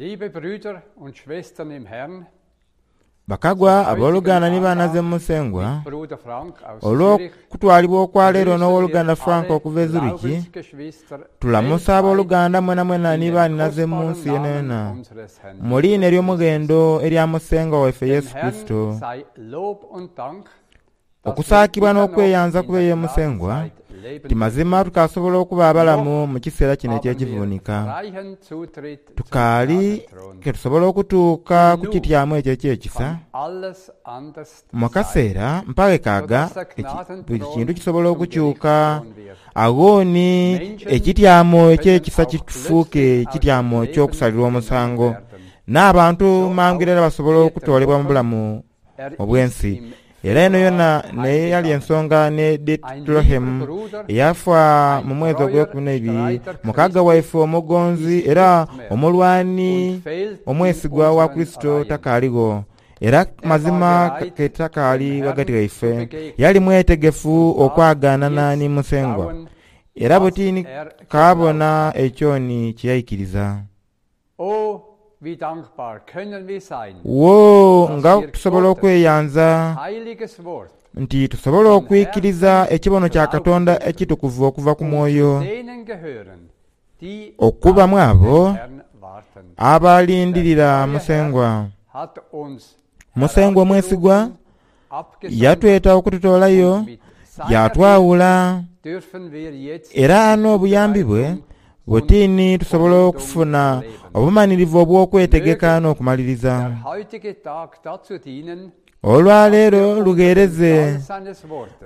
Liebe Brüder und Schwestern im Herrn, Bakagwa, aboluganda ni baanaze mu Musengwa, olw'okutwalibwa okwa leero n'owoluganda Frank okuva e Zurich, tulamusa aboluganda mwenamwena ni baaninaze mu nsi yonayona, mu liina ery'omughendo erya Musengwa waife Yesu Kurisito. Okusaakibwa n'okweyanza kube ye Musengwa, ti mazima tukaasobola okuba abalamu mu kiseera kino eky'ekivuunika. Tukaali ke tusobola okutuuka ku kityamo ekyo eky'ekisa. Mu kaseera mpaghe kaaga, buli kintu kisobola okukyuka. Agho ni ekityamo eky'ekisa kifuuke kityamo ky'okusalirwa omusango, n'abantu mangu irala basobola okutoolebwa mu bulamu obw'ensi. Era eno yona n'eyali ensonga ni Ditilohemu eyafa mu mwezi ogweikumi n'eibiri, mukaga waife omugonzi era omulwani omwesigwa wa Kurisito takaaligho, era mazima ke takaali ghagati ghaife. Yali mwetegefu okwagaanana ni Musengwa, era buti ni kaabona ekyo ni kye yaikiriza. Woo, nga tusobola okweyanza nti tusobola okwikiriza ekibono kya Katonda ekitukuvu okuva ku Mwoyo, okuba mu abo abalindirira Musengwa. Musengwa omwesigwa yatweta okututoolayo, yaatwawula, era n'obuyambi bwe buti ni tusobola okufuna obumanhirivu obw'okwetegeka n'okumaliriza. Olwaleero lugheereze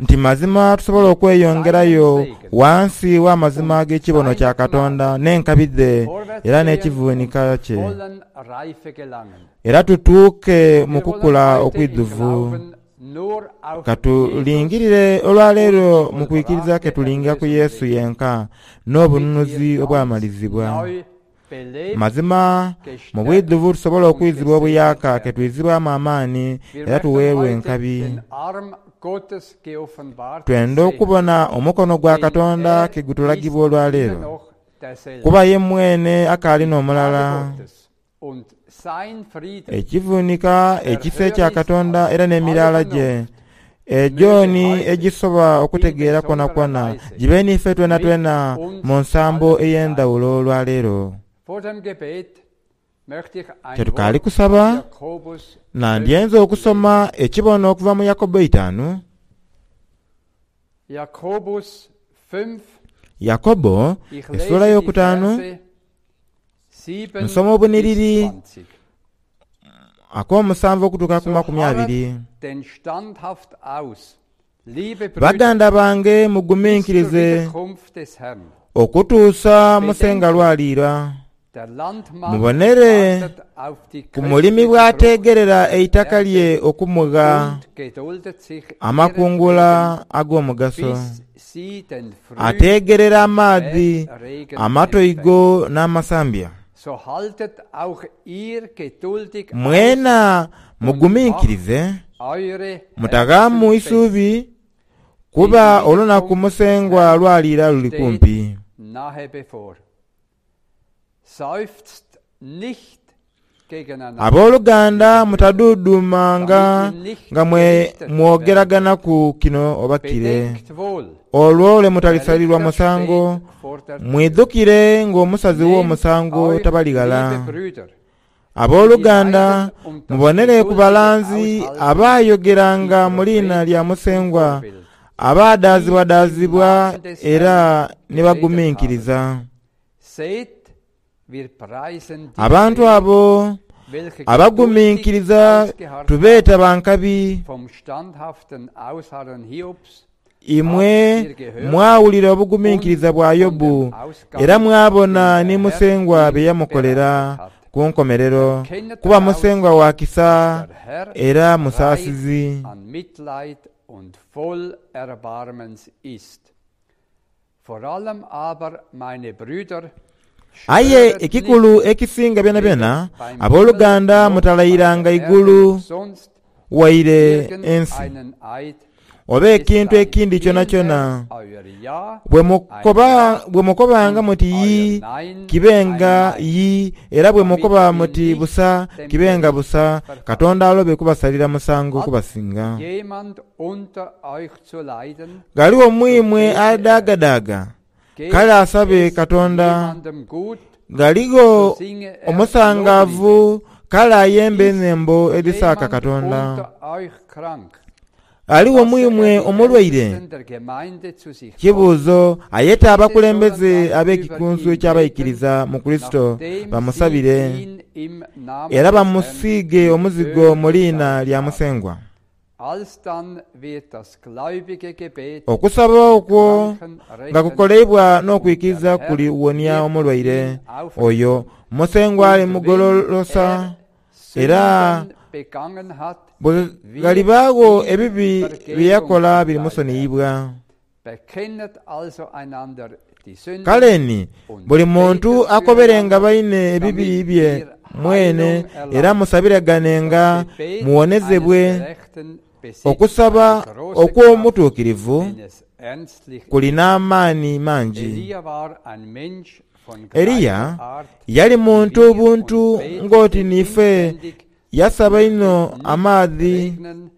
nti mazima tusobola okweyongerayo ghansi w'amazima ag'ekibono kya Katonda n'enkabi dhe era n'ekivunika kye. Era tutuuke mu kukula okwidhuvu. Ka tulingirire olwaleero mu kwikiriza ke tulinga ku Yesu yenka n'obununuzi obwamalizibwa. Mazima, mu bwidhuvu tusobola okwizibwa obuyaaka ke twizibwamu amaani era tuweerwa enkabi. Twenda okubona omukono gwa Katonda ke gutulagibwa olwaleero, kuba ye mwene akaali n'omulala. Ekivunika ekisa ekya Katonda era n'emiraala gye, egyo ni egisoba okutegeera kwonakwona, gibe n'ife twenatwena mu nsambo ey'endhawulo olwaleero. Kye tukaali kusaba, nandyenze okusoma ekibono okuva mu Yakobo eitaanu. Yakobo esula eyokutaanu. Nsoma obunhiriri ak'omusanvu okutuuka ku makumiabiri. Baganda bange muguminkirize okutuusa Musengwa lw'aliira. Mubonere ku mulimi bw'ateegerera eitaka lye okumugha amakungula ag'omugaso. Ateegerera amaadhi, amatoigo n'amasambya. Mwena muguminkirize, mutaghaamu isuubi, kuba olunaku Musengwa lw'aliira luli kumpi. Aboluganda mutaduuduumanga nga mwogeraganaku kino oba kire, olwo lwe mutalisalirwa musango. Mwidhukire ng'omusazi w'omusango tabali ghala. Aboluganda, mubonere ku balanzi abaayogeranga mu liina lya Musengwa, abaadaazibwadaazibwa era ni baguminkiriza. Abantu abo abaguminkiriza tubeeta ba nkabi. Imwe mwawulira obuguminkiriza bwa Yobu, era mwabona ni Musengwa bye yamukolera ku nkomerero, kuba Musengwa wa kisa era musaasizi. Aye ekikulu ekisinga byonabyona, aboluganda mutalayiranga igulu waire ensi. oba Es ekintu sei ekindi kyonakyona. vielmehr euer Ja Bwe ein mukoba Ja bwe mukobanga und muti euer yii, Nein kibe ein nga Nein, yii, era bwe damit mukoba wir muti nicht busa, dem kibe nga Gericht busa, verfallen. Katonda alobe kubasalira musango Hat kubasinga. jemand unter euch zu leiden, Ghaligho so mu imwe bete er. adaagadaaga? Geht Kale asabe es Katonda. jemandem gut, Ghaligho so singe er Loblieder. omusangaavu? Kale ayembe Ist enhembo edhisaaka jemand Katonda. unter euch krank, Ghaligho mu lasse er imwe die omulwaire? Ältesten der Gemeinde zu sich kommen. Kibuuzo, ayete Diese sollen abakulembeze dann über ab'ekikunsu ihn beten, eky'abaikiriza mu Kurisito nachdem sie bamusabire, ihn im Namen era des Herrn bamusiige mit omuzigo Öl mu liina gesalbt lya haben. Musengwa. Alsdann wird das gläubige Gebet Okusaba den okwo Kranken nga retten kukoleibwa und der n'okwikiriza Herr kuliwonia wird omulwaire ihn oyo. aufrichten. Musengwa Und wenn alimugololosa, er era Sünden begangen hat, bwe wird ghalibaagho ihm ebibi bye Vergebung yakola zuteil werden. birimusoniyibwa. Bekennet also einander die Sünden Kale ni und buli muntu betet akoberenga füreinander, baine ebibi damit bye ihr mwene, Heilung era erlangt. musabireganenga Das Gebet eines muwonezebwe. Gerechten besitzt Okusaba eine große Kraft, okw'omutuukirivu wenn es ernstlich ist. kulina amaani mangi. Elia war ein Mensch von Eliya gleicher Art yali wie muntu wir und buntu ng'oti betete niife, inständig, es yasaba möchte inho nicht amaadhi regnen.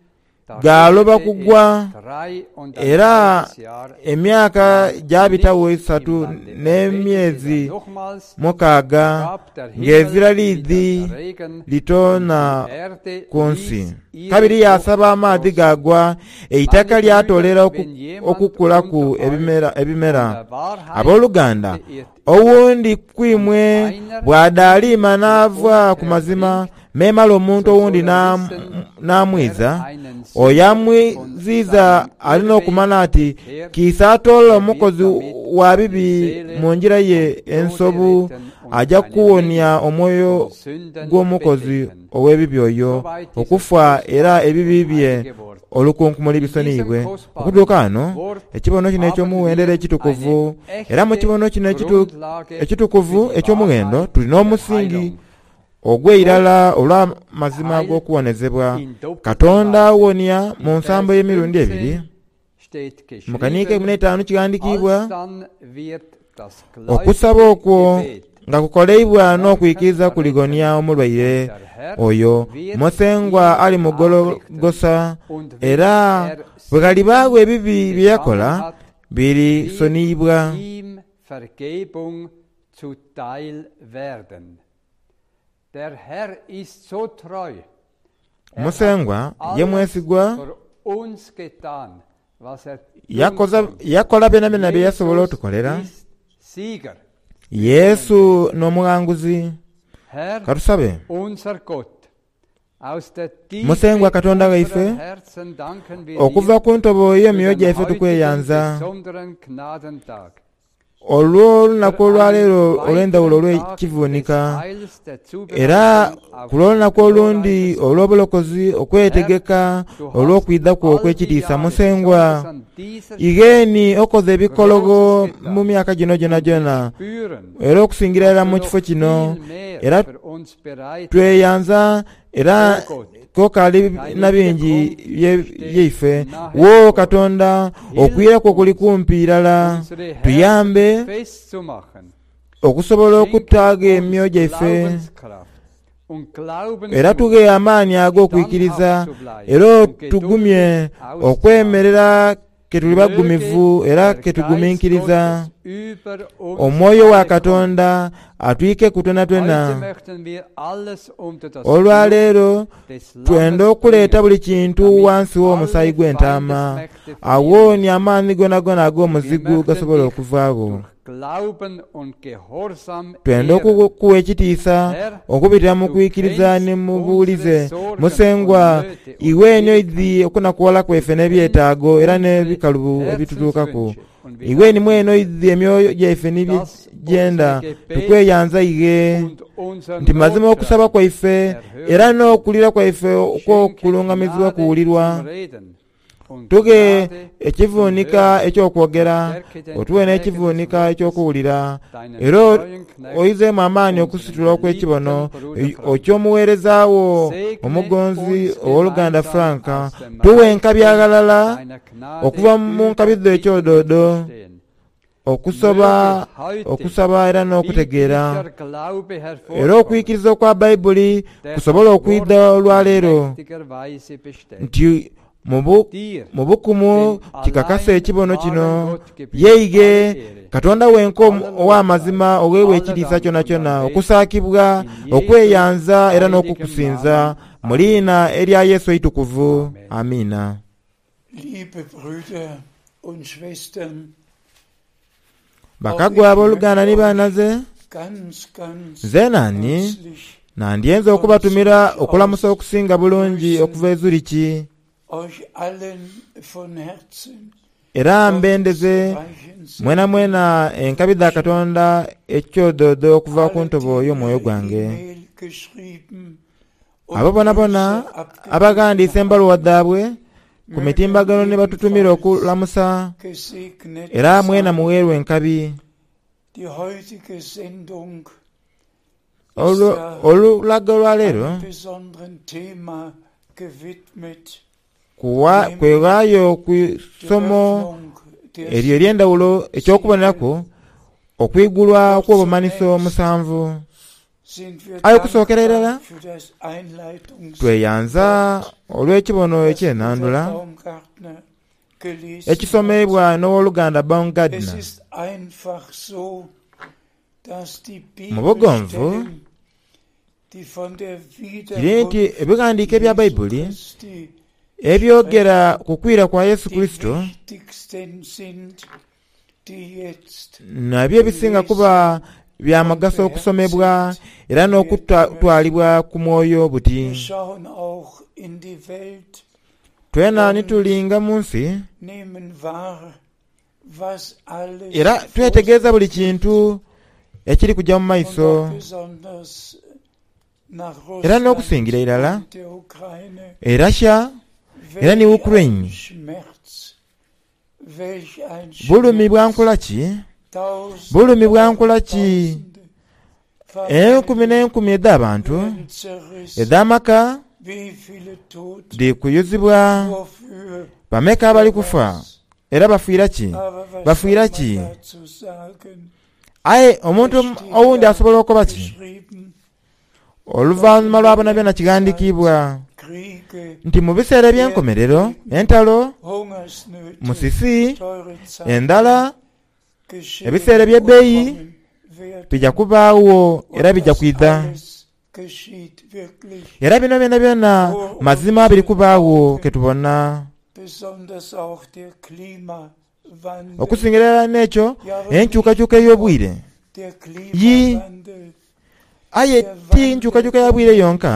Da gaaloba regnete es kugwa, 3,5 era Jahr emyaka lang gyabitawo nicht im esatu Lande. Er betete dann n'emyezi nochmals, da mukaaga gab der ng'ezira Himmel wieder liidhi Regen und litoona die Erde ku nsi. ließ ihre Kabiri Frucht yasaba amaadhi sprossen. gaagwa, eitaka Meine Brüder, lyatoolera wenn jemand okukulaku unter euch ebimera. von der Wahrheit Abooluganda, beirrt ist owundi ku und imwe einer bw'adaaliima ihn n'ava ku umkehrt mazima, bringt, memale omuntu so soll owundi er wissen, n'amwiza, wer einen oyo Sünder von amwiziiza seinem alina Irrweg okumanya ati bekehrt, kiisa atoola er wird omukozi damit wa seine bibi Seele mu ngira ye vom Tode ensobu, retten und ajja seine kuwonia Menge omwoyo von Sünden gw'omukozi bedecken. ow'ebibi oyo Soweit dieses okufa era kostbare ebibi und bye heilige Wort. olukunkumuli In diesem bisoniyibwe. kostbaren Okutuuka wano Wort ekibono kino haben eky'omuwendero wir ekitukuvu, eine era mu echte kibono kino Grundlage für ekitukuvu die eky'omughendo Wahrheit tulina der omusingi Heilung. ogw'eirala olw'amazima Heilt g'okuwonezebwa. in doppelter Katonda Weise. awonia mu In nsambo Vers y'emirundi ebiri. 15 steht Mu kaniika geschrieben, ekumu n'etaano kighandikiibwa, alsdann wird das okusaba gläubige okwo Gebet nga kukoleibwa den Kranken n'okwikiriza retten kuligonia und omulwaire der Herr oyo. wird Musengwa ihn alimugologosa, aufrichten und wenn era er bwe ghalibaagho Sünden ebibi bye begangen yakola hat, wird birisoniyibwa. ihm Vergebung zuteil werden. Der Herr ist so treu. Er hat Musengwa ye alles mwesigwa, für uns getan, was er tun yakoza konnte. yakola byonabyona bye yasobola Jesus otukolera. ist Sieger. Yesu n'omughanguzi. Herr, Katusabe. unser Gott, aus der Musengwa Tiefe Katonda waife, unserer Herzen danken wir okuva dir ku ntobo für y'emyoyo den gyaife heutigen tukweyanza besonderen Gnadentag, olw'olunaku für einen olwaleero olw'endhawulo weiteren Tag des olw'ekivuunika, Heils, der era Zubereitung auf ku dein lw'olunaku olundi glorreiches olw'obulokozi, Herr, okwetegeka du hast olw'okwidha kwo all die okw'ekitiisa. Jahre, Musengwa, besonders an dieser Stelle, igheeni okoze ebikologo Großes mu getan. myaka gino Und wir gyonagyona, spüren, era okusingira dass irala du mu noch kifo kino, viel mehr era für uns bereit hast. tweyanza era O Gott, kokaali deine na bingi Wiederkunft steht byaife. nahe Wo bevor. Katonda, Hilf okwira kwo kuli uns, kumpi irala, unsere Herzen tuyambe festzumachen. okusobola Schenk okutaaga uns emyoyo gyaife, Glaubenskraft und era Glaubensmut, tughe amaanyi ag'okwikiriza, standhaft zu bleiben era und otugumye geduldig auszuharren. okwemerera ke tuli Möge bagumivu era der ke Geist tugumiikiriza. Gottes über uns Omwoyo wa alle kommen. Katonda atwikeku Heute twenatwena. möchten wir alles unter das Blut Olwaleero des twenda Lammes okuleeta bringen, buli kintu damit wansi w'omusaayi alle gw'entaama, Feindesmächte fliehen awooni müssen. amaani gonagona Wir ag'omuzigu möchten gasobola dich okuvaagho. durch Glauben und Gehorsam Twenda ehren. okukuwa ekitiisa Herr, okubitira mu du kwikiriza kennst ni mu unsere buwulize. Sorgen und Musengwa, Nöte und iwe eni oidhi Schwierigkeiten. okunakuwala Du kwaife kennst n'ebyetaago era unsere n'ebikalubo ebitutuukaku. Herzenswünsche und wir Iwe ni danken mwene dir, oidhi emyoyo gyaife ni bye dass gyenda, unser Gebet tukweyanza ighe und unser nti mazima okusaba Notschrei kwaife era erhört wird. n'okulira kwaife Schenke okw'okulungamizibwa Gnade kuwulirwa. zum Reden. Tughe ekivunika eky'okwogera, otuwe n'ekivunika eky'okuwulira, era oizeemu amaani okusitula okw'ekibono eky'omuweereza wo omugonzi ow'oluganda Frank. Tuwe enkabi aghalala okuva mu nkabi dho ekyodoodo, okusoba, okusaba era n'okutegeera, era okwikiriza okwa Baibuli kusobole okwidha olwaleero nti mu bukumu kikakasa ekibono kino, Yeighe, Katonda wenka ow'amazima ogheibwa ekitiisa kyonakyona, okusaakibwa, okweyanza era n'okukusinza, mu liina erya Yesu eitukuvu. Amiina. Bakagwa aboluganda ni baanaze, nze naani nandyenze okubatumira okulamusa okusinga bulungi okuva e Zurich. Era mbendeze mwenamwena enkabi dha Katonda ekyodoodo okuva ku ntobo y'omwoyo gwange. Abo bonabona abaghandiisa embaluwa dhaibwe ku mitimbagano ni batutumira okulamusa, era mwena mugheerwe enkabi. Olulaga olwaleero kweghaayo ku isomo eryo ery'endhaghulo eky'okuboneraku okwigulwa okw'obumanhiso omusanvu. Aye okusookera irala tweyanza olw'ekibono eky'enhandhula ekisomeibwa n'Owoluganda Baumgardner. Mu bugonvu, kiri nti ebighandiiko ebya Baibuli ebyogera ku kwira kwa Yesu Kurisito nabyo ebisinga kuba bya mugaso okusomebwa era n'okutwalibwa ku mwoyo buti. Twena ni tulinga mu nsi era twetegereza buli kintu ekiri kuja mu maiso era n'okusingira irala e Russia era ni Ukraine. Bulumi bwa nkola ki? Bulumi bwa nkola ki? Enkumi n'enkumi edh'abantu, edh'amaka dhiri kuyuzibwa. Bameka abali kufa, era bafiira ki? Bafiira ki? Aye omuntu owundi asobola okoba ki? Oluvanhuma lwa byonabyona kighandikiibwa nti mu biseera eby'enkomerero entalo, musisi, endhala, ebiseera eby'ebbeyi bija kubaagho era bija kwidha. Era bino byonabyona mazima biri kubaagho ke tubona. Okusingira irala n'ekyo, enkyukakyuka ey'obwire. Yii, aye ti nkyukakyuka ya bwire yonka,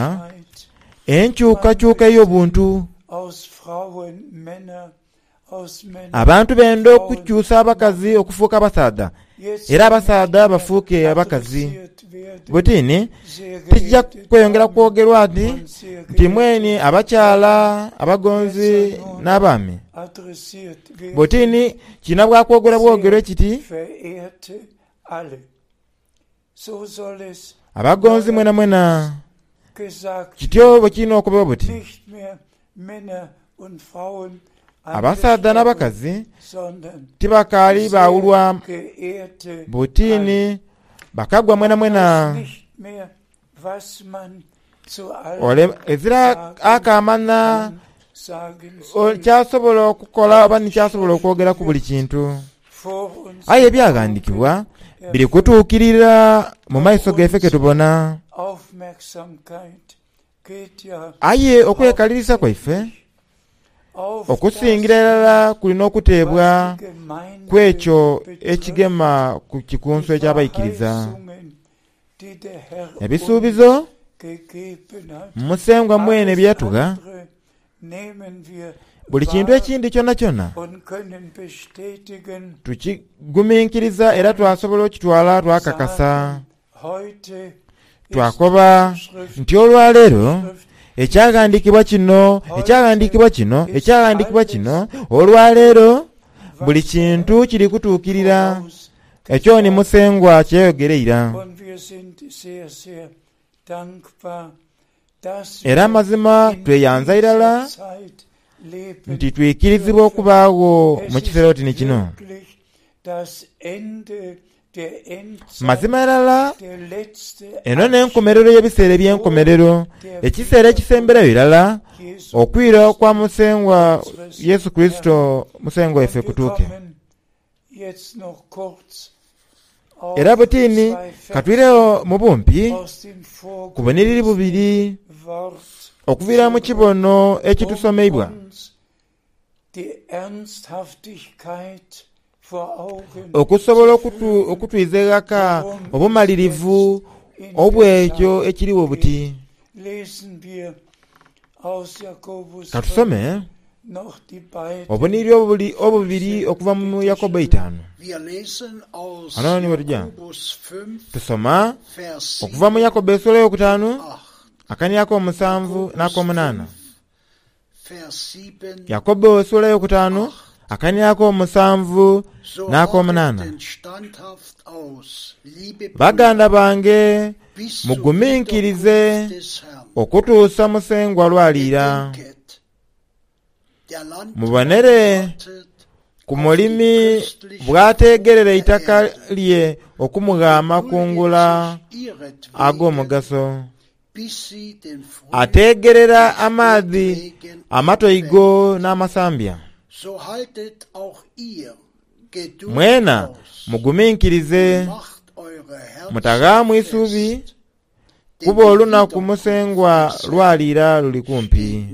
enkyukakyuka ey'obuntu. Abantu benda okukyusa abakazi okufuuka abasaadha era abasaadha bafuuke abakazi. Buti ni tikija kweyongera kwogerwa nti nti mweni abakyala abagonzi n'abaami. Buti ni kirina bwa kwogerwa bwogerwe kiti, Abagonzi mwenamwena. Kityo bwe kirina okuba buti. Abasaadha n'abakazi tibakaali baawulwa buti ni bakagwa mwenamwena. Ole ezira akaamanha ky'asobola okukola oba ni ky'asobola okwogera ku buli kintu. Aye Ebyaghandiikibwa biri kutuukirira mu maiso gaife ke tubona. Aye okwekalirisa kwaife okusingira irala kuli n'okuteebwa ku ekyo ekigema ku Kikunsu eky'Abaikiriza. Ebisuubizo Musengwa mwene bye yatugha, buli kintu ekindi kyonakyona tukiguminkiriza era twasobola okukitwala twakakasa. Twakoba nti olwaleero Ekyaghandiikibwa kino, Ekyaghandiikibwa kino, Ekyaghandiikibwa kino, olwaleero buli kintu kiri kutuukirira. Ekyo ni Musengwa kye yayogera eira. Era amazima tweyanza irala nti twikirizibwa okubaagho mu kiseera oti ni kino. Mazima irala, eno n'enkomerero y'ebiseera eby'enkomerero, ekiseera ekisemberayo irala okwira kwa Musengwa Yesu Kurisito Musengwa waife kutuuke. Era butini ka twiregho mu bumpi ku bunhiriri bubiri okuviira mu kibono ekitusomeibwa. Okusobola okutwiza eghaka obumalirivu obw'ekyo ekirigho buti. Ka tusome obunhiriri obubiri okuva mu Yakobo eitaanu. Ghano ni ghetuja. Tusoma okuva mu Yakobo esula eyokutaanu, akania ak'omusanvu n'ak'omunaana. Yakobo esula eyokutaanu, akania ak'omusanvu n'ak'omunaana. Baganda bange, muguminkirize okutuusa Musengwa lw'aliira. Mubonere ku mulimi bw'ateegerera eitaka lye okumugha amakungula ag'omugaso. Ateegerera amaadhi amatoigo n'amasambya. Mwena muguminkirize, mutaghaamu isuubi, kuba olunaku Musengwa lw'aliira luli kumpi.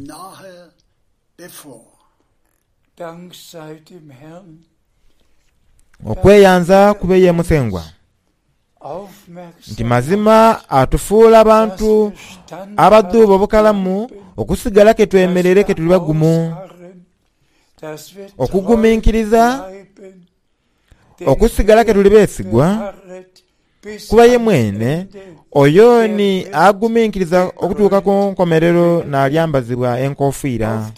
Okweyanza kube ye Musengwa. Nti mazima atufuula bantu abadhuuba obukalamu okusigala ke twemereire ke tuli bagumu, okuguminkiriza, okusigala ke tuli beesigwa, kuba ye mwene oyo ni aguminkiriza okutuuka ku nkomerero n'alyambazibwa enkofiira.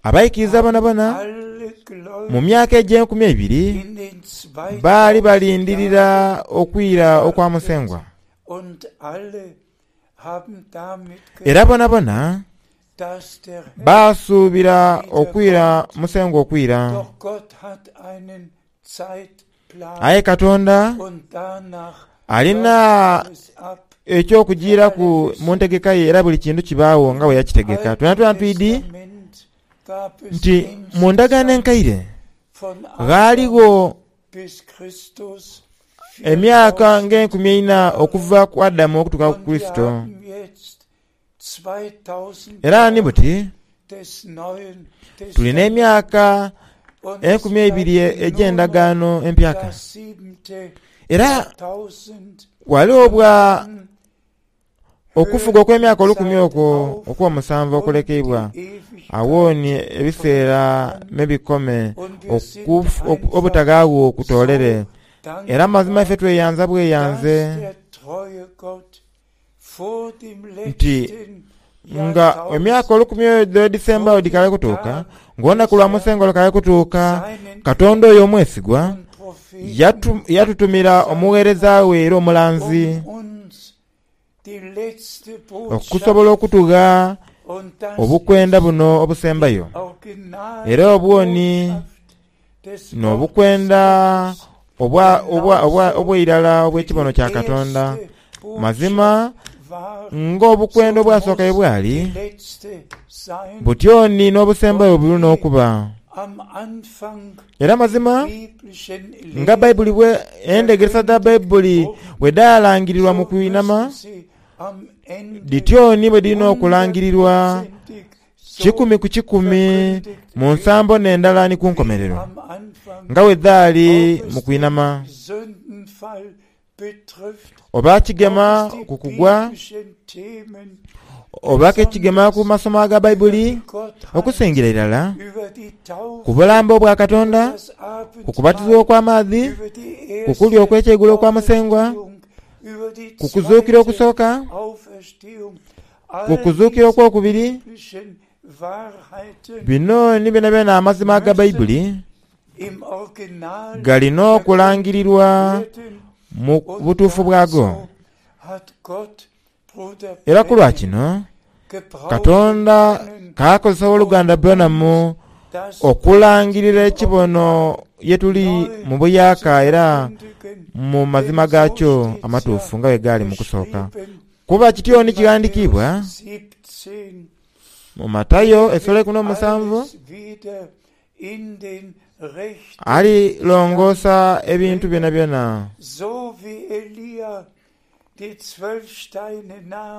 Abaikiriza bonabona mu myaka egy'enkumi eibiri baali balindirira okwira okwa Musengwa. Era bonabona baasuubira okwira Musengwa okwira. Aye Katonda alina eky'okujiiraku mu ntegeka ye era buli kintu kibaagho nga bwe yakitegeka. Twenatwena twidhi nti mu Ndagaano Enkaire ghaaligho emyaka ng'enkumi eina okuva ku Adamu okutuuka ku Kurisito. Era ni buti tuli n'emyaka enkumi eibiri egy'endagaano empyaka. Era ghaligho bwa okufuga okw'emyaka olukumi okwo okw'omusanvu okulekeibwa, agho ni ebiseera me bikome obutaghaagho kutoolere. Era mazima ife tweyanza bweyanze. Nti nga emyaka olukumi edho edhisembagho dhikaali kutuuka, ng'olunaku lwa Musengwa lukaali kutuuka, Katonda oyo omwesigwa yatutumira omugheereza we era omulanzi, okusobola okutugha obukwenda buno obusembayo. Era obwo ni n'obukwenda obw'eirala obw'ekibono kya Katonda. Mazima, ng'obukwenda obwasooka bwe bwali, butyo ni n'obusembayo bwe buli n'okuba. Era mazima, nga Baibuli bwe, endhegeresa dha Baibuli bwe dhaalangirirwa mu kwinhama, dhityo ni bwe dhiri n'okulangirirwa kikumi ku kikumi mu nsambo n'endala ni ku nkomerero, nga bwe dhaali mu kwinhama. Oba kigema ku kugwa, oba ke kigema ku masomo aga Baibuli, okusingira irala ku bulambe obwa Katonda, ku kubatizibwa okw'amaadhi, ku kulya okw'ekyeigulo okwa Musengwa. Ku kuzuukira okusooka, ku kuzuukira okwokubiri, bino ni byonabyona amazima aga Baibuli galina okulangirirwa mu butuufu bwago. Era ku lwa kino, Katonda kaakozesa Owoluganda Branham okulangirira ekibono ye tuli mu buyaaka era mu mazima gaakyo amatuufu nga bwe gaali mu kusooka. Kuba kityo ni kighandikiibwa mu Matayo esula eikumi n'omusanvu, Alilongoosa ebintu byonabyona.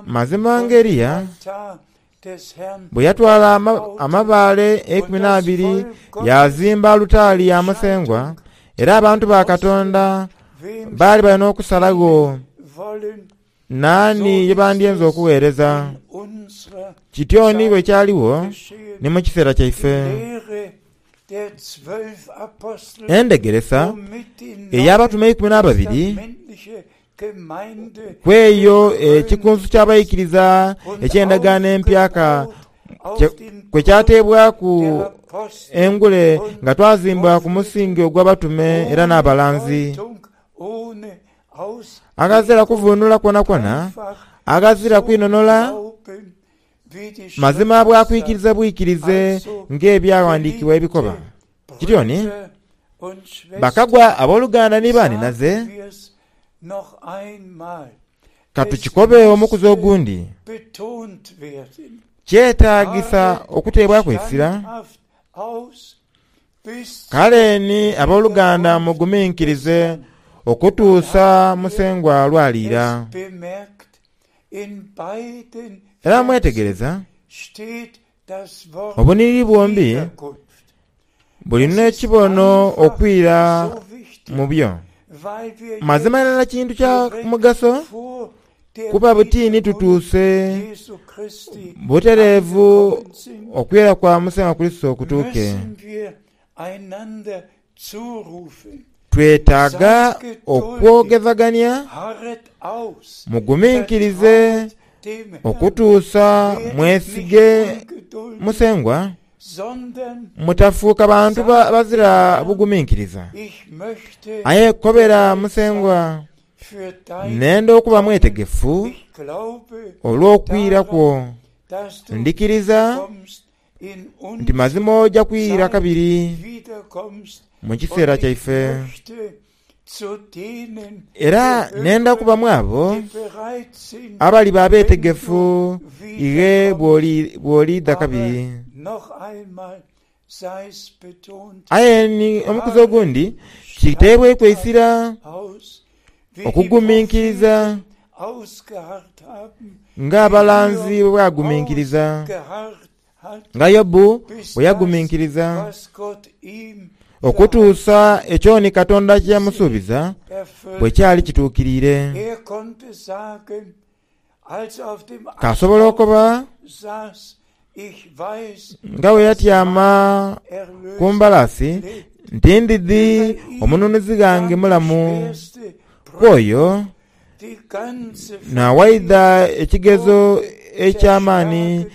Mazima nga Eliya bwe yatwala amabaale eikumi n'abiri yaazimba alutaari ya Musengwa, era abantu ba Katonda baali bali n'okusalagho naani ye bandyenze okugheereza. Kityo ni bwe kyaligho ni mu kiseera kyaife. Endhegeresa ey'Abatume Eikumi n'Ababiri ku eyo ekikunsu ky'abaikiriza eky'Endagaano Empyaka kwe kyateebwaku engule nga twazimbwa ku musingi ogw'Abatume era n'abalanzi. Aghazira kuvuunula kwonakwona, aghazira kwinhonhola, Mazima bwa kwikiriza bwikirize ng'Ebyaghandiikibwa ebikoba. Kityo ni, bakagwa aboluganda ni baanhinaze, ka tukikobe omukuzi ogundi, kyetaagisa okuteebwaku eisira. Kale ni aboluganda muguminkirize okutuusa Musengwa lw'aliira. Era mwetegereza, obunhiriri bwombi buli n'ekibono okwira mu byo. Mazima irala kintu kya mugaso kuba buti ni tutuuse butereevu okwira kwa Musengwa Kurisito kutuuke. Twetaaga okwogezagania, muguminkirize okutuusa mwesige Musengwa, mutafuuka bantu bazira buguminkiriza. Aye kobera Musengwa, Nenda okuba mwetegefu olw'okwira kwo. Ndhikiriza nti mazima oja kwira kabiri mu kiseera kyaife. Era nenda kuba mu abo abaliba abeetegefu ighe bw'oliidha kabiri. Aye ni omukuzi ogundi kiteebweku eisira okuguminkiriza ng'abalanzi bwe baaguminkiriza. Nga Yobu bwe yaguminkiriza okutuusa ekyoni Katonda kye yamusuubiza bwe kyali kituukiriire. K'asobola okuba nga bwe yatyama ku mbalaasi nti, Ndidhi omununuzi ghange mulamu, ku oyo Naawaidha ekigezo eky'amaani,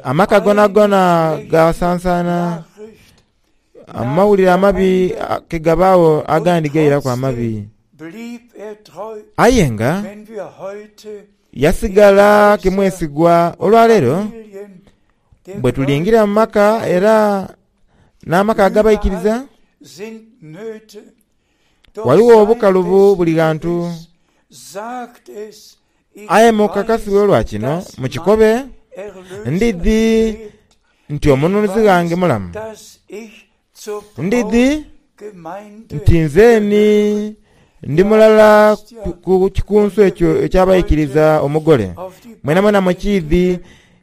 amaka goonagoona gaasansaana, amawulire amabi ke gabaagho agandi gairaku amabi. Aye nga yasigala ke mwesigwa. Olwaleero bwe tulingira mu maka era n'amaka ag'abaikiriza, Ghaligho obukalubu buli ghantu. Aye mukakasibwe olwa kino, mukikobe, Ndidhi nti Omununuzi ghange mulamu. Ndidhi nti nzeeni ndi mulala ku kikunsu ekyo eky'abaikiriza Omugole. Mwenamwena mukiidhi,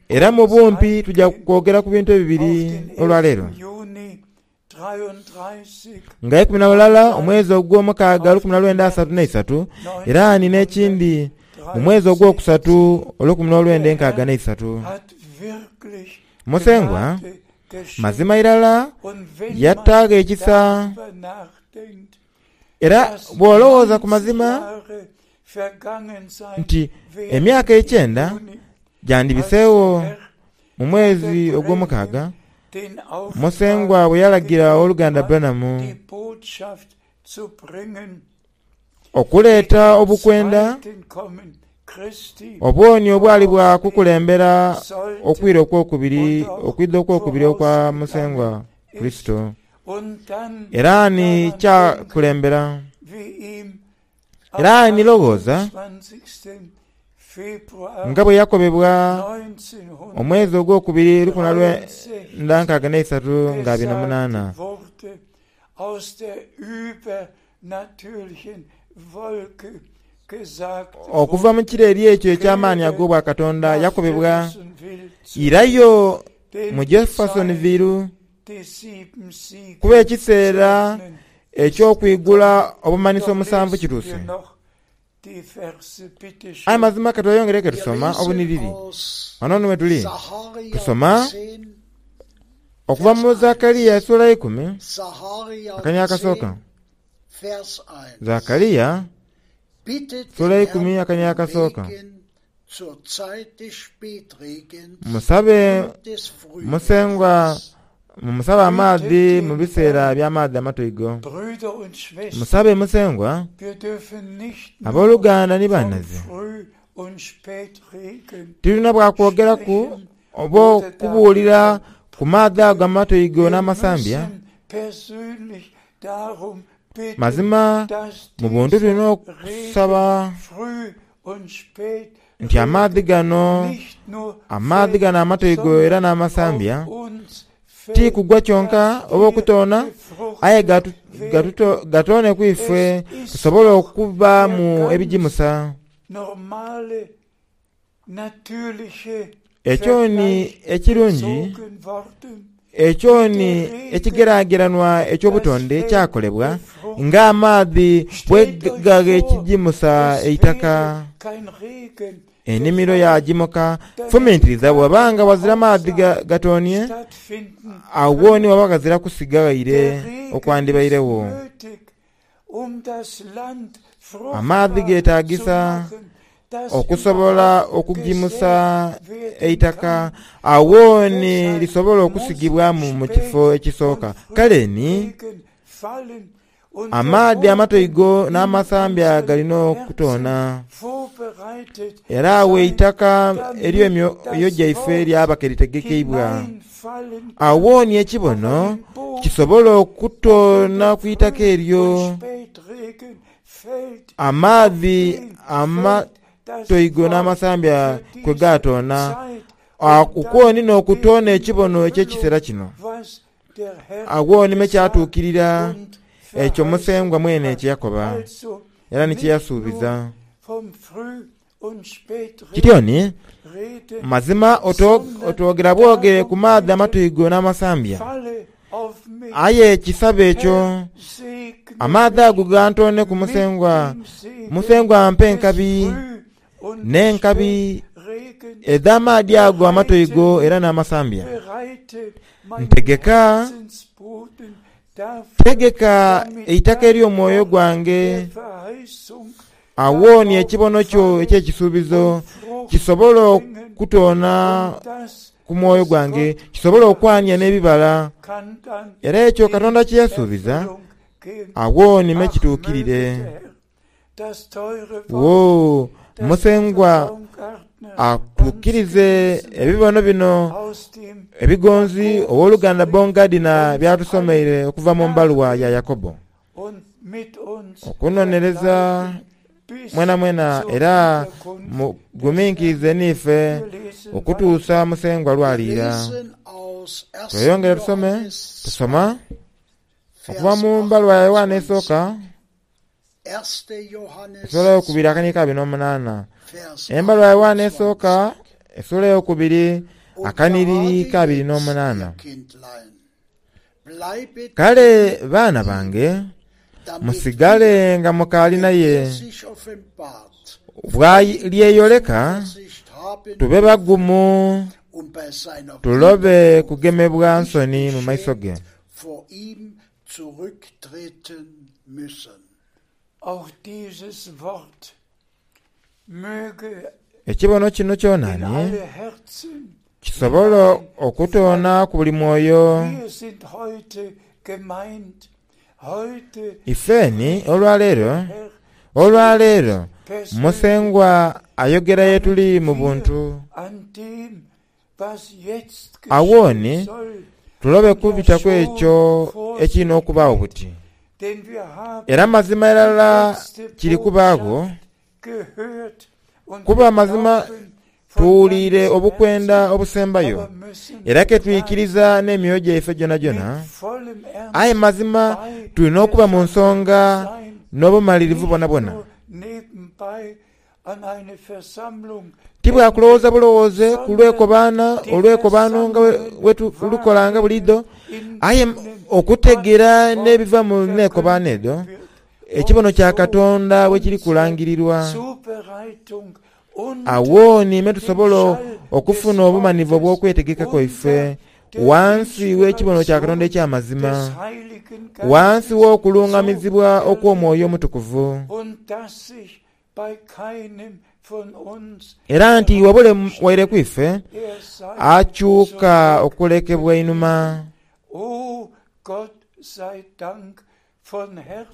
era mu bumpi tuja kwogera ku bintu ebibiri olwaleero. Nga 11 omwezi ogwomukaaga 1933, era ni n'ekindi mu mwezi ogwokusatu 1963. Musengwa mazima irala yataagho ekisa. Era bw'olowooza ku mazima. Nti emyaka ekyenda gyandibiseegho mu mwezi ogwomukaaga, Musengwa bwe yalagira Owoluganda Branham okuleeta obukwenda obwoni obwali bwa kukulembera okwira okwokubiri, okwidha okwokubiri okwa Musengwa Kurisito. Era ni kyakulembera. Era ni lowooza nga bwe yakobebwa omwezi ogwokubiri lukumi lwenda nkaaga n'eisatu nga abiri na munaana. Okuva mu kire eri ekyo eky'amaani ag'Obwakatonda, yakobebwa, Irayo mu Jeffersonville, kuba ekiseera eky'okwigula obumanhiso omusanvu kituuse. Aye mazima ka tweyongere ke tusoma obunhiriri. Ghano ni wetuli tusoma okuva mu Zakaria esula eikumi akania akasooka. Zakaria esula eikumi akania akasooka. Musabe Musengwa, mumusabe amaadhi mu biseera by'amaadhi amatoigo. Musabe Musengwa, aboluganda ni banhaze. Tilina bwa kwogeraku oba okubuulira ku maadhi ago amatoigo n'amasambya. Mazima mu buntu tulina okusaba nti amaadhi gano, amaadhi gano amatoigo era n'amasambya, ti kugwa kyonka oba okutoona, aye gatoone ku ife tusobole okubaamu ebigimusa. Ekyo ni ekirungi, ekyo ni ekigerageranwa eky'obutonde ekyakolebwa ng'amaadhi bwe gagha ekigimusa eitaka, enimiro yaagimuka. Fumintiriza bwewaba nga ghazira maadhi gatoonye, agho ni waba ghazira kusiga ghaire okwandibairegho. Amaadhi geetaagisa okusobola okugimusa eitaka agho ni lisobola okusigibwamu mu kifo ekisooka. Kale ni, amaadhi amatoigo n'amasambya gali n'okutoona, era agho eitaka ery'emyoyo gyaife lyaba ke litegekeibwa. Agho ni ekibono kisobola okutoona ku itaka eryo amaadhi amatoigo n'amasambya kwe gaatoona, okwo ni n'okutoona ekibono eky'ekiseera kino. Agho ni me kyatuukirira ekyo Musengwa mwene kye yakoba era ni kye yasuubiza. Kityo ni, mazima otwogera bwogere ku maadhi amatoigo n'amasambya, aye kisabe ekyo, amaadhi ago gantooneku Musengwa, Musengwa ampe enkabi, n'enkabi edh'amaadhi ago amatoigo era n'amasambya. Ntegeka, tegeka eitaka ery'omwoyo gwange. Agho ni ekibono kyo eky'ekisuubizo kisobole okutoona ku mwoyo gwange, kisobole okwania n'ebibala. Era ekyo Katonda kye yasuubiza, agho ni me kituukirire. Wo Musengwa atuukirize ebibono bino ebigonzi Ow'oluganda Bongardiner by'atusomeire okuva mu mbaluwa ya Yakobo. Okunonereza mwenamwena era muguminkirize n'ife okutuusa Musengwa lw'aliira. Tweyongere tusome. Tusoma okuva mu mbaluwa ya Yoanne esooka, esuula eyokubiri akaniiko abiri n'omunaana. Embaluwa ya Yoanne esooka, esuula eyokubiri akanhiriri k'abiri n'omunaana. Kale baana bange, musigale nga mukaali naye, bw'alyeyoleka tube bagumu tulobe kugemebwa nsoni mu maiso ge. Ekibono kino kyonani kisobole okutoona ku buli mwoyo. Ifeeni olwaleero, olwaleero Musengwa ayogera ye tuli mu buntu. Agho ni tulobe kubita ku ekyo ekiri n'okubaagho buti. Era mazima irala kiri kubaagho, kuba mazima tuwuliire obukwenda obusembayo, era ke twikiriza n'emyoyo gyaife gyonagyona. Aye mazima tuli n'okuba mu nsonga n'obumalirivu bwonabwona. Ti bwa kulowooza bulowooze ku lwekobaana olwekobaano nga bwe tulukolanga buliidho, aye okutegeera n'ebiva mu neekobaano edho, ekibono kya Katonda bwe kiri kulangirirwa. Agho ni me tusobola okufuna obumanivu obw'okwetegeka kwaife ghansi w'ekibono kya Katonda eky'amazima, ghansi w'okulungamizibwa okw'Omwoyo Omutukuvu. Era nti wabule waire ku ife akyuka okulekebwa einhuma.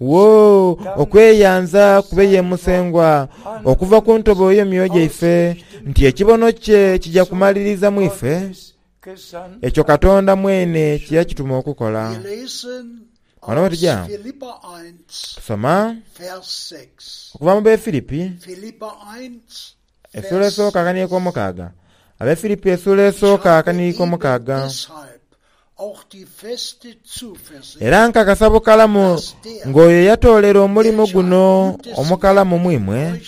Woo, okweyanza kube ye Musengwa okuva ku ntobo y'emyoyo gyaife, nti ekibono kye kija kumaliriza mu ife ekyo Katonda mwene kye yakituma okukola. Wano we tuja tusoma okuva mu Befilipi esuula esooka akaniiko omukaaga. Abefilipi esuula esooka akaniiko omukaaga. Era nkakasa bukalamu ng'oyo eyatoolera omulimo guno omukalamu mu imwe,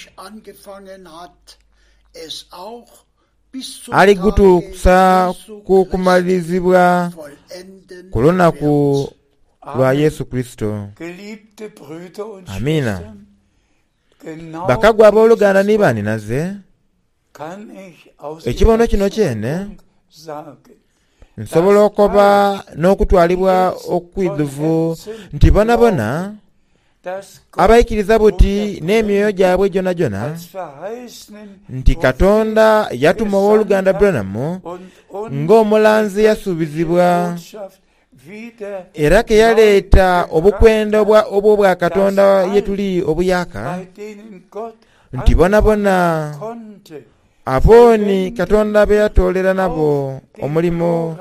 aligutuusa ku kumalirizibwa ku lunaku lwa Yesu Kurisito. Amiina. Bakagwa aboluganda ni baninaze, ekibono kino kyene nsobola okoba n'okutwalibwa okwidhuvu nti bonabona abaikiriza buti n'emyoyo gyabwe gyonagyona nti Katonda yatuma Ow'oluganda Branham ng'omulanzi eyasuubizibwa era ke yaleeta obukwenda obw'Obwakatonda ye tuli obuyaaka, nti bonabona abo ni Katonda be yatoolera nabo omulimo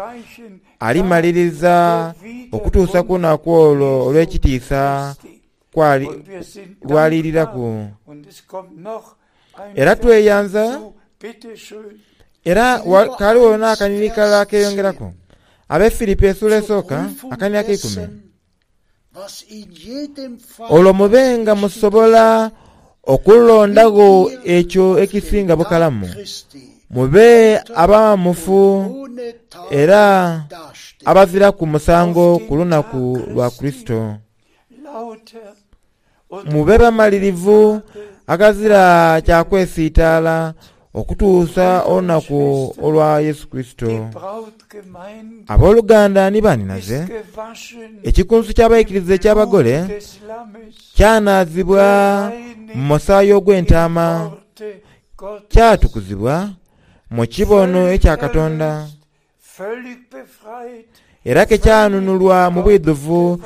alimaliriza okutuusa ku lunaku olwo olw'ekitiisa lw'aliiriraku. Era tweyanza, era ghaligho n'akanhiriri kalala akeeyongeraku. Ab'e Filipi esuula esooka, akanhiriri ak'eikumi. Olwo mube nga musobola okulondagho ekyo ekisinga bukalamu, mube abaghamufu era abaziraku musango ku lunaku lwa Kurisito. Mube bamalirivu aghazira kya kwesiitaala okutuusa olunaku olwa Yesu Kurisito. Aboluganda ni banhinaze, ekikunsu ky'abaikiriza eky'abagole kyanaazibwa mu musaayi ogw'entaama, kyatukuzibwa mu kibono ekya Katonda. Era ke kyanunulwa mu bwidhuvu,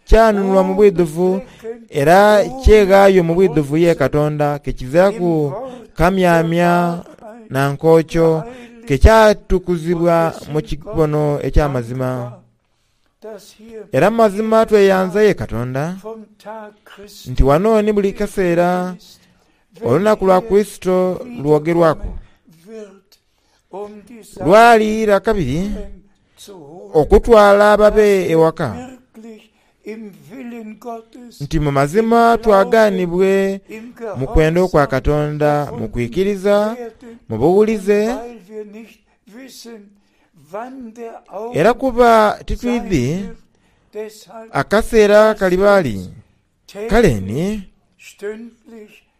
kyanunulwa mu bwidhuvu era kyeghaayo mu bwidhuvu ye Katonda, ke kiziraku kamyamya na nkookyo, ke kyatukuzibwa mu kibono eky'amazima. Era mu mazima tweyanza ye Katonda nti wano ni buli kaseera olunaku lwa Kurisito lwogerwaku. Lwali lwa kabiri okutwala ababe ewaka, nti mu mazima twagaanibwe mu kwenda okwa Katonda mu kwikiriza, mu buwulize, era kuba titwidhi akaseera kaliba li. Kale ni,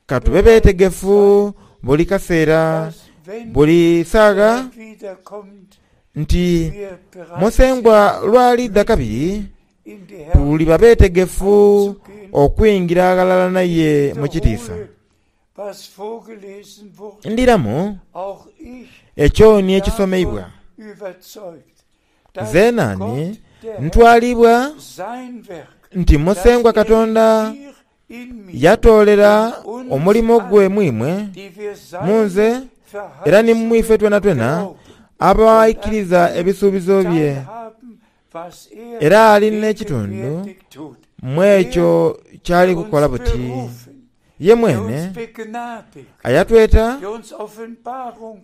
ka tube beetegefu buli kaseera, buli saagha, nti Musengwa lw'aliidha kabiri, tuliba beetegefu okwingira aghalala naye mu kitiisa. Ndhiramu, ekyo ni ekisomeibwa. Zeena ni ntwalibwa nti Musengwa Katonda yatoolera omulimo gwe mu imwe, mu nze, era ni mu ife twenatwena abaikiriza ebisuubizo bye. Era ali n'ekitundu mu ekyo ky'ali kukola buti. Ye mwene ayatweta,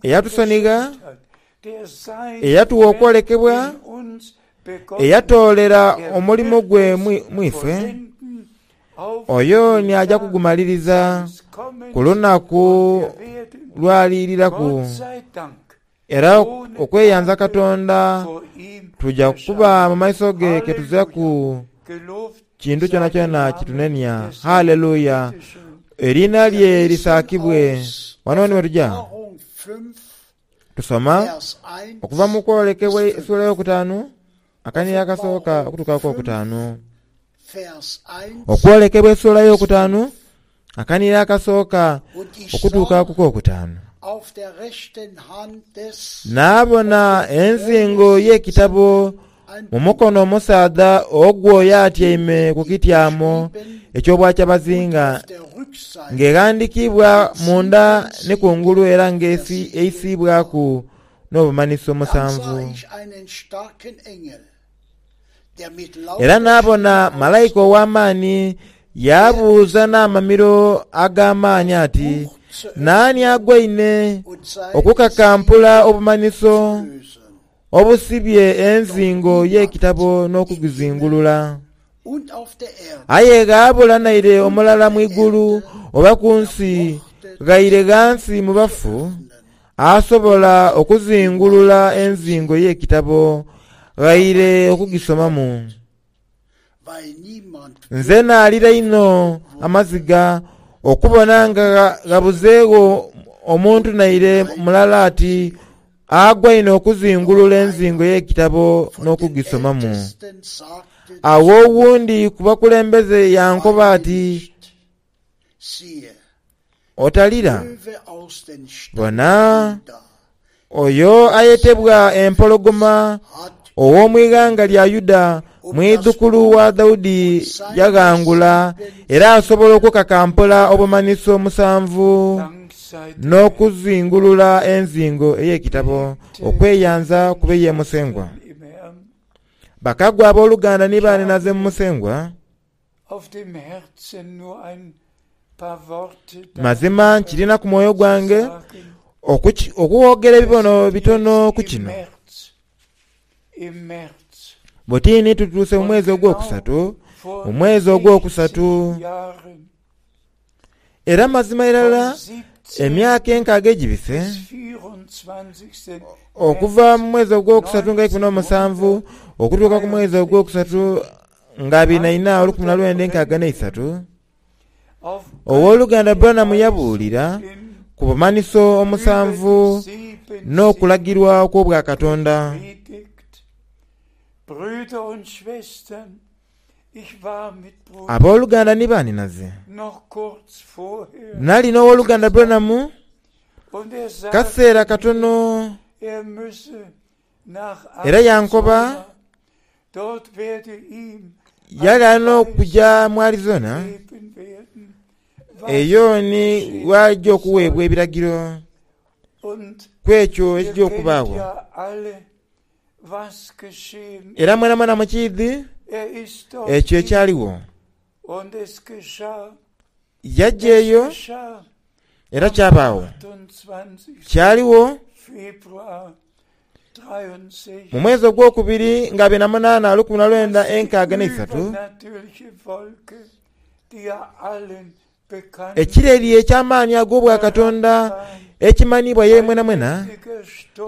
eyatusonigha, eyatugha okwolekebwa, eyatoolera omulimo gwe mu ife, oyo ni aja kugumaliriza ku lunaku lw'aliiriraku. Era okweyanza Katonda tuja kuba mu maiso ge ke tuziraku kintu kyonakyona kitunenia. Haleluya! Eriina lye lisaakibwe. Wano ni wetuja tusoma okuva mu kwolekebwa esula eyokutaanu akaniiro akasooka okutuuka ku kokutaanu. Okwolekebwa esula eyokutaanu Akanhiriro akasooka okutuuka ku kokutaanu. Naabona enzingo y'ekitabo mu mukono omusaadha ogw'oyo atyaime ku kityamo eky'obwakyabazinga, ng'eghandiikiibwa munda ni ku ngulu era ng'eisiibwaku n'obumanhiso musanvu. Era naabona malaika ow'amaani yaabuuza n'amamiro ag'amaani ati, Naani agwaine okukakampula obumanhiso obusibye enzingo y'ekitabo n'okugizingulula? Aye ghaabula naire omulala mu igulu oba ku nsi ghaire ghansi mu bafu, asobola okuzingulula enzingo y'ekitabo ghaire okugisomamu. Nze naalira inho amaziga okubona nga ghabuzeegho omuntu naire mulala ati agwaine okuzingulula enzingo y'ekitabo n'okugisomamu. Agho owundi ku bakulembeze yankoba ati, Otalira. Bona, oyo ayetebwa Empologoma ow'omu ighanga lya Yuda, mwidhukulu wa Daudi yaghangula era asobola okukakampula obumanhiso omusanvu n'okuzingulula enzingo ey'ekitabo. Okweyanza kube ye Musengwa. Bakagwa aboluganda ni baaninaze mu Musengwa. Mazima nkirina ku mwoyo gwange okughogera ebibono bitono ku kino. Buti ni tutuuse mu mwezi ogwokusatu, mu mwezi ogwokusatu, era mazima irala emyaka enkaaga egibise okuva mu mwezi ogwokusatu nga eikumi n'omusanvu okutuuka ku mwezi ogwokusatu nga abiri na ina olukumi na lwenda enkaaga n'eisatu, Ow'oluganda Branham yabuulira ku bumanhiso omusanvu n'okulagirwa okw'Obwakatonda. Ab'oluganda ni baanhinaze, nali n'Ow'oluganda Branham kaseera katono era yankoba yali alina okuja mu Arizona, eyo ni gh'aja okuweebwa ebiragiro ku ekyo ekija okubaagho. Era mwenamwena mukiidhi ekyo ekyaligho. Yaja eyo era kyabaagho. Kyaligho mu mwezi ogwokubiri nga abiri na munaana 1963, ekireri eky'amaani ag'Obwakatonda ekimanhiibwa ye mwenamwena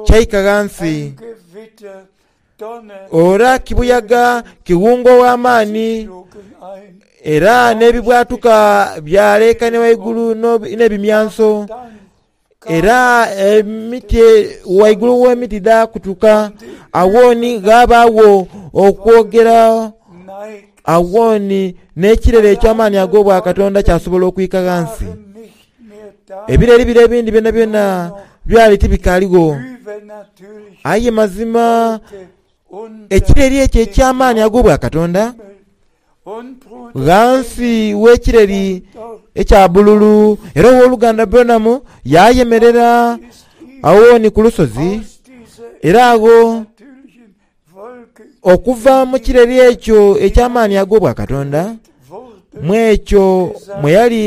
kyaika ghansi. Ora kibuyaga kiwunga ow'amaani, era n'ebibwatuka byaleekania ghaigulu n'ebimyanso, era emiti ghaigulu gh'emiti dhaakutuka. Agho ni ghabaagho okwogera, agho ni n'ekirere eky'amaani ag'Obwakatonda kyasobola okwika ghansi. Ebireri bire ebindi byonabyona byali tibikaaligho. Aye mazima ekireri ekyo eky'amaani ag'obwakatonda ghansi w'ekireri ekya bbululu, era Ow'oluganda Branham yaayemerera agho ni ku lusozi, era agho okuva mu kireri ekyo eky'amaani ag'obwakatonda, mu ekyo mwe yali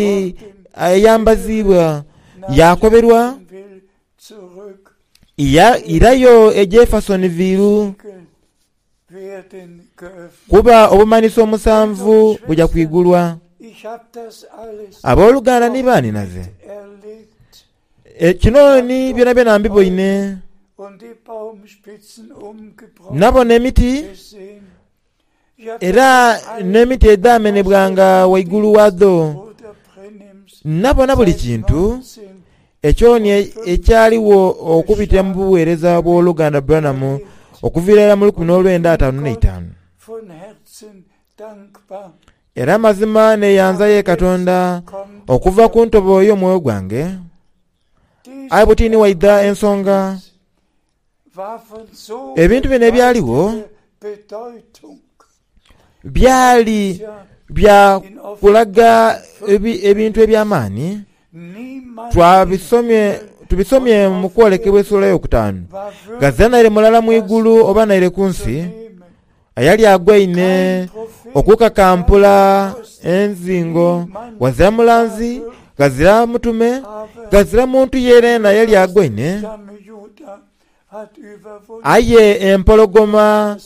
ayambaziibwa, yaakoberwa irayo e Jeffersonville. Kuba obumanhiso omusanvu buja kwigulwa. Aboluganda ni baanhinaze, kino ni byonabyona mbiboine. Nabona emiti, era n'emiti edhamenhebwanga ghaigulu ghadho. Nabona buli kintu ekyo ni ekyaligho okubitira mu bugheereza bw'Owoluganda Branham okuviira irala mu 1955. Era mazima neyanza ye Katonda okuva ku ntobo y'omwoyo gwange. Aye buti ni waidha ensonga. Ebintu bino ebyaligho byali bya kulaga ebintu eby'amaani. Twabisomye, tubisomye mu kwolekebwa esula eyokutaanu. Ghazira naire mulala mu igulu oba naire ku nsi ayali agwaine okukakampula enzingo. Ghazira mulanzi, ghazira mutume, ghazira muntu yenayena yali agwaine. Aye empologoma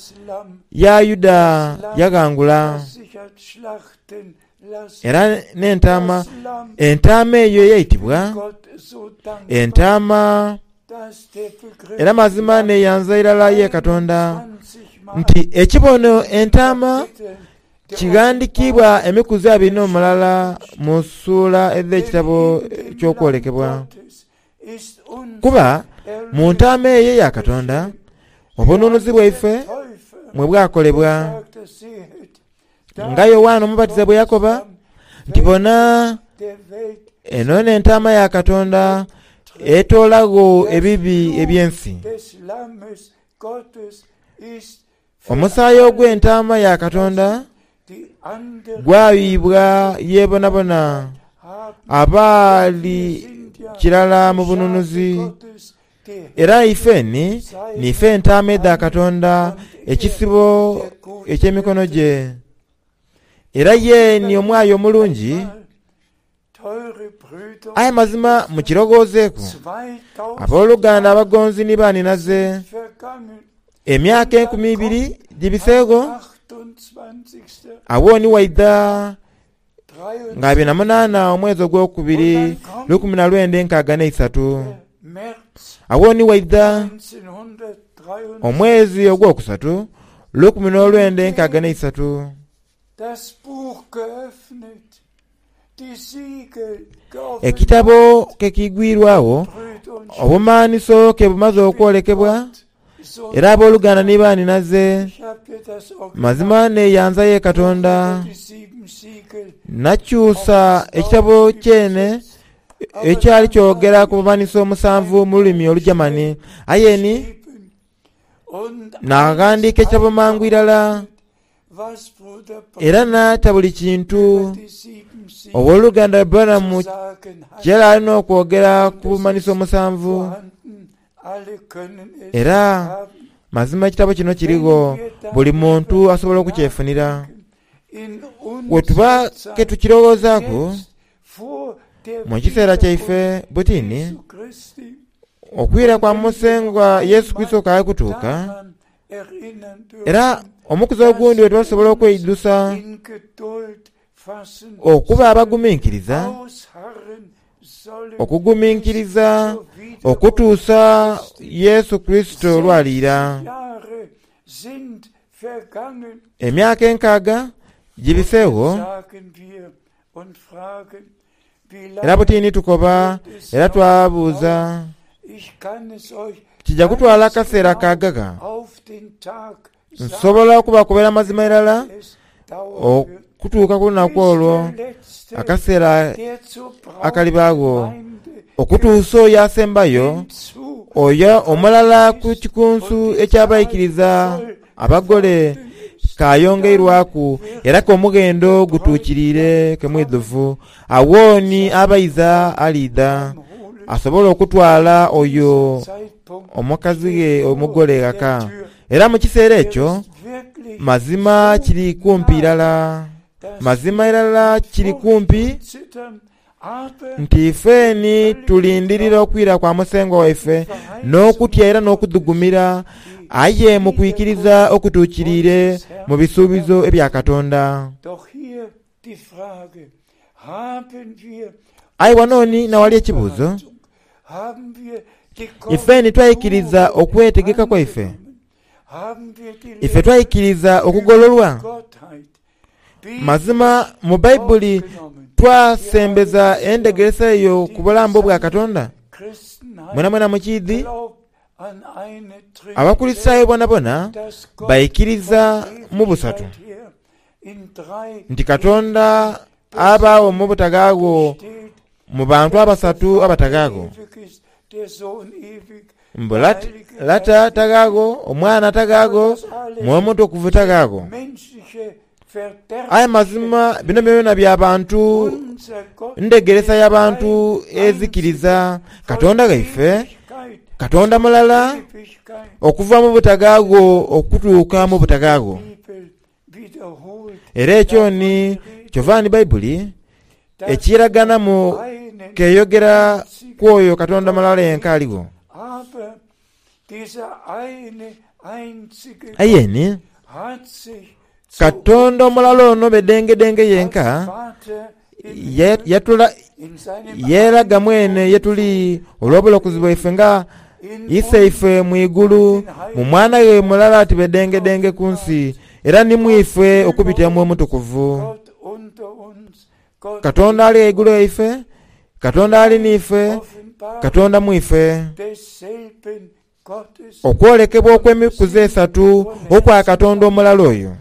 ya Yuda yaghangula, era n'entaama, entaama eyo eyaitibwa, entaama. Era mazima neyanza irala ye Katonda nti ekibono entaama kighandikiibwa emikuzi 21 mu suula edh'ekitabo ky'okwolekebwa. Kuba mu ntaama eyo eya Katonda obununuzi bwaife mwe bwakolebwa. Nga Yowaana Omubatiza bwe yakoba nti, Bona, eno n'Entaama ya Katonda etoolagho ebibi eby'ensi. Omusaayi ogw'Entaama ya Katonda gwayuyibwa ye bonabona abaali kirala mu bununuzi. Era ife ni niife entaama edha Katonda, ekisibo eky'emikono gye. Era ye ni omwayi omulungi. Aye mazima mukiroghoozeeku, aboluganda abagonzi ni baanhinaze, emyaka 2000 gibiseegho, agho ni waidha nga 28 omwezi ogwokubiri 1963. Agho ni waidha omwezi ogwokusatu 1963. Ekitabo ke kiigwirwagho, obumanhiso ke bumaze okwolekebwa, era aboluganda ni baanhinaze, mazima neeyanza ye Katonda, nakyusa ekitabo kyene ekyali kyogera ku bumanhiso omusanvu mu lulimi Olugyamani. Aye ni naaghandiika ekitabo mangu irala era naata buli kintu Ow'oluganda Branham kye yali alina okwogera ku bumanhiso omusanvu. Era mazima ekitabo kino kirigho buli muntu asobola okukyefunira. Bwetuba ke tukirowoozaaku mu kiseera kyaife butini, okwira kwa Musengwa Yesu Kurisito kaali kutuuka, era omukuzi ogundi bwetuba tusobola okweidhusa okuba abaguminkiriza, okuguminkiriza okutuusa Yesu Kurisito lw'aliira. Emyaka enkaaga gibiseegho, era butini tukoba era twabuuza, Kija kutwala kaseera kaaga gha? Nsobola okubakobera amazima irala. Okutuuka ku lunaku olwo, akaseera akalibaagho, okutuusa oyo asembayo, oyo omulala ku kikunsu eky'abaikiriza abagole k'ayongeirwaku era k'omughendo gutuukiriire ke mwidhuvu. Agho ni abaiza aliidha, asobole okutwala oyo omukazi ghe omugole ghaka. Era mu kiseera ekyo, mazima kiri kumpi irala, mazima irala kiri kumpi, nti ife ni tulindirira okwira kwa Musengwa waife n'okutya era n'okudhugumira, aye mu kwikiriza okutuukiriire mu bisuubizo ebya Katonda. Aye wano ni n'awali ekibuuzo, Ife ni twaikiriza okwetegeka kwaife? Ife twaikiriza okugololwa? Mazima mu Baibuli twasembeza endhegeresa eyo ku bulamu bwa Katonda? Mwenamwena mukiidhi? Abakulisitaayo bonabona baikiriza mu busatu. Nti Katonda abaagho mu butagaagho mu bantu abasatu abatagaagho. Mbu Lata tagaagho, Omwana tagaagho, Mwoyo Mutukuvu tagaagho. Aye mazima bino byonabyona bya bantu, ndhegeresa ya bantu ezikiriza Katonda ghaife, Katonda mulala, okuva mu butagaagho okutuuka mu butagaagho. Era ekyo ni kyova ni Baibuli ekiraganamu k'eyogera ku oyo Katonda mulala yenka aligho. Aye ni Katonda omulala ono bedengedenge yenka yeeraga mwene ye tuli olw'obulokozi bwaife nga Iseife mu igulu, mu Mwana ghe mulala ati bedengedenge ku nsi, era ni mu ife okubitira mu Mwoyo Mutukuvu. Katonda ali ghaigulu ghaife, Katonda ali n'ife, Katonda mu ife. Okwolekebwa okw'emikuzi esatu okwa Katonda omulala oyo.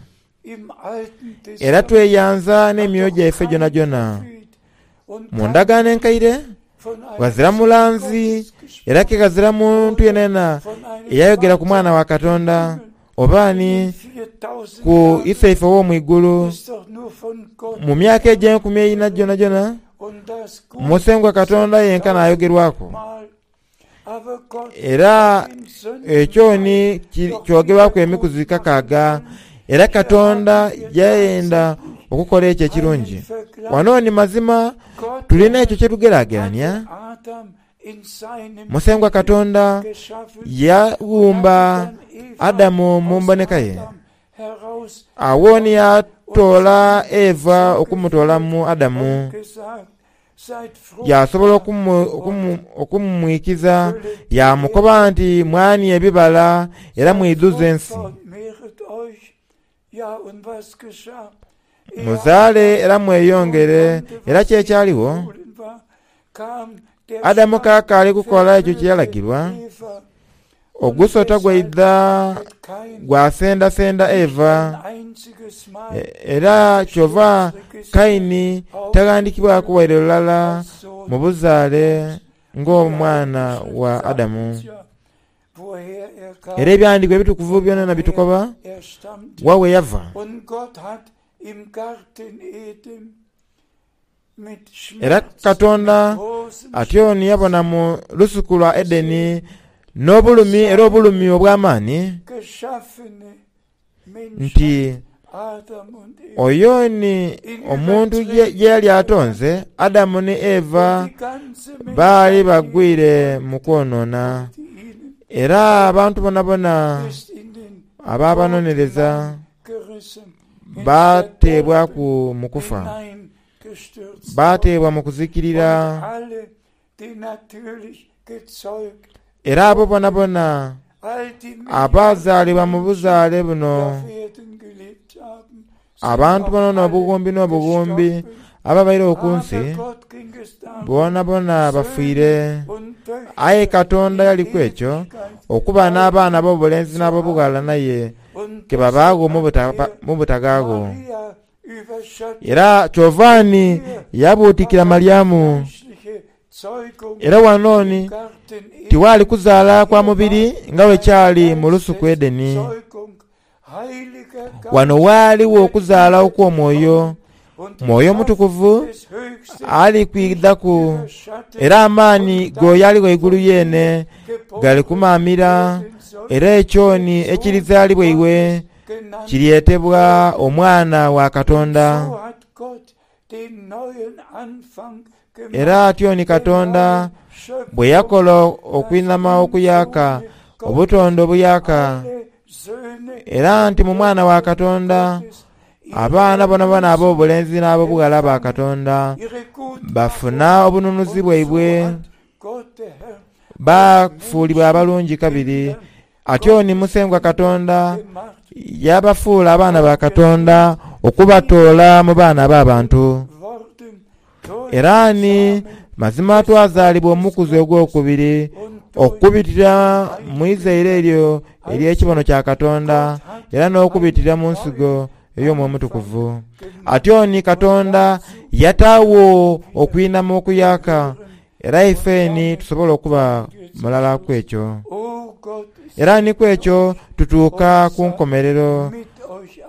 Era tweyanza n'emyoyo gyaife gyonagyona. Mu Ndagaano Enkaire, ghazira mulanzi era ke ghazira muntu yenayena eyayogera ku Mwana wa Katonda oba ani ku Iseife ow'omu igulu. Mu myaka egy'enkumi eina gyonagyona, Musengwa Katonda yenka n'ayogerwaku. Era ekyo ni kyogerwaku emikuzi kakaaga. Era Katonda yayenda okukola ekyo ekirungi. Wano ni mazima tulina ekyo kye tugeragerania. Musengwa Katonda yaghumba Adamu mu mboneka ye. Agho ni yaatoola Eva okumutoola mu Adamu. Yaasobola okumwikiza, yaamukoba nti, Mwanie ebibala era mwidhuze ensi. Muzaale era mweyongere. Era ki ekyaligho? Adamu kaakaali kukola ekyo kye yalagirwa, ogusota gwaidha gwasendasenda Eva. Era kyova Kaini taghandikibwaku waire lulala mu buzaale ng'omwana wa Adamu. Era ebyandikwa ebitukuvu byonana bitukoba wa we yava. Era Katonda atyo ni yabona mu lusuku lwa Edeni n'obulumi era obulumi obw'amaani, nti oyo ni omuntu ye yali atonze, Adamu ni Eva, baali bagwire mu kwonoona. Era abantu bonabona abaabanonereza baateebwaku mu kufa, baateebwa mu kuzikirira. Era abo bonabona abaazaalibwa mu buzaale buno, abantu bano n'obughumbi n'obughumbi ababairegho ku nsi, bonabona bafiire. Aye Katonda yaliku ekyo okuba n'abaana ab'obulenzi n'ab'obughala naye ke babaagho mu butagaagho. Era kyova ni yabuutikira Malyamu. Era wano ni tiwaali kuzaala kwa mubiri nga bwe kyali mu lusuku Edeni. Wano ghaligho okuzaala okw'omwoyo. Mwoyo Mutukuvu ali kwidhaku, era amaani g'oyo Ali Ghaigulu Yeene gali kumaamira, era ekyo ni ekirizaalibwa iwe kiryetebwa Omwana wa Katonda. Era atyo ni Katonda bwe yakola okwinhama okuyaaka, obutonde obuyaaka, era nti mu Mwana wa Katonda abaana bonabona ab'obulenzi n'ab'obughala ba Katonda bafuna obununuzi bwaibwe, baafuulibwa abalungi kabiri. Atyo ni Musengwa Katonda yaabafuula abaana ba Katonda okubatoola mu baana ab'abantu. Era ni mazima twazaalibwa omukuzi ogwokubiri okubitira mu izaire eryo ery'ekibono kya Katonda era n'okubitira mu nsigo ey'Omwoyo Omutukuvu. Atyo ni Katonda yataagho okwinhama okuyaaka era ife ni tusobola okuba mulala ku ekyo. Era ni ku ekyo tutuuka ku nkomerero.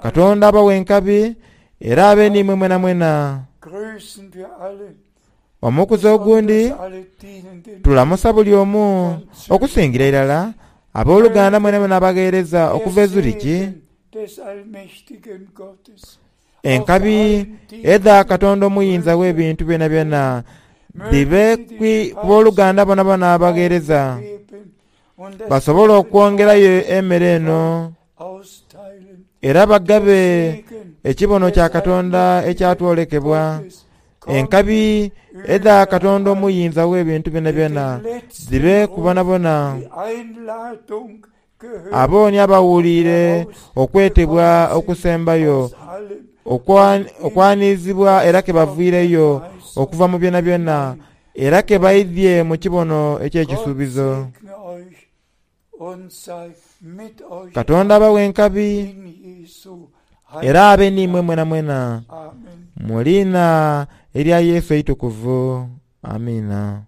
Katonda abawe enkabi era abe n'imwe mwenamwena. Omukuzi ogundi tulamusa buli omu, okusingira irala aboluganda mwenamwena abagheereza okuva e Zurich. Enkabi edha Katonda Omuyinza w'ebintu byonabyona dhibe ku boluganda bonabona abagheereza, basobole okwongerayo emere eno era bagabe ekibono kya Katonda ekyatwolekebwa. Enkabi edha Katonda Omuyinza w'ebintu byonabyona dhibe ku bonabona. Abo ni abawuliire okwetebwa okusembayo okwaniizibwa era ke baviireyo okuva mu byonabyona, era ke baidhie mu kibono eky'ekisuubizo. Katonda abawe enkabi era abe n'imwe mwenamwena, mu liina erya Yesu eitukuvu. Amiina.